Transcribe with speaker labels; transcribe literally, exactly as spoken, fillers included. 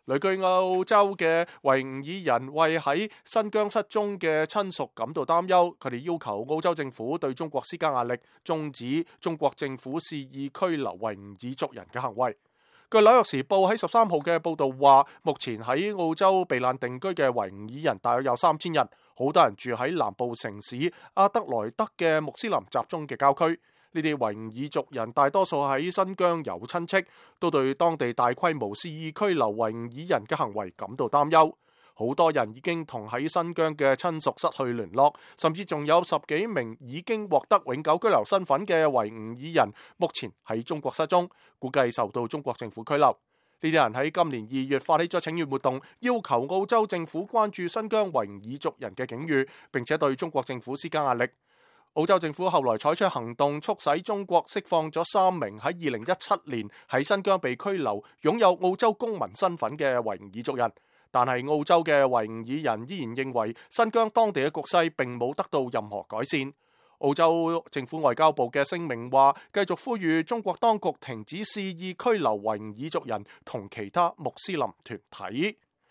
Speaker 1: 旅居澳洲嘅維吾爾人為喺新疆失蹤嘅親屬感到擔憂，佢哋要求澳洲政府對中國施加壓力，終止中國政府肆意拘留維吾爾族人嘅行為。據紐約時報喺十三號嘅報導話，目前喺澳洲避難定居嘅維吾爾人大約有三千人，好多人住喺南部城市阿德萊德嘅穆斯林集中嘅郊區。呢啲維吾爾族人大多數喺新疆有親戚，都對當地大規模肆意拘留維吾爾人嘅行為感到擔憂。好多人已經同喺新疆嘅親屬失去聯絡，甚至仲有十幾名已經獲得永久居留身份嘅維吾爾人，目前喺中國失蹤，估計受到中國政府拘留。呢啲人喺今年二月發起咗請願活動，要求澳洲政府關注新疆維吾爾族人嘅境遇，並且對中國政府施加壓力。澳洲政府後來採取行動，促使中國釋放咗三名喺二零一七年喺新疆被拘留、擁有澳洲公民身份嘅維吾爾族人。但係澳洲嘅維吾爾人依然認為新疆當地嘅局勢並冇得到任何改善。澳洲政府外交部嘅聲明話，繼續呼籲中國當局停止肆意拘留維吾爾族人同其他穆斯林團體。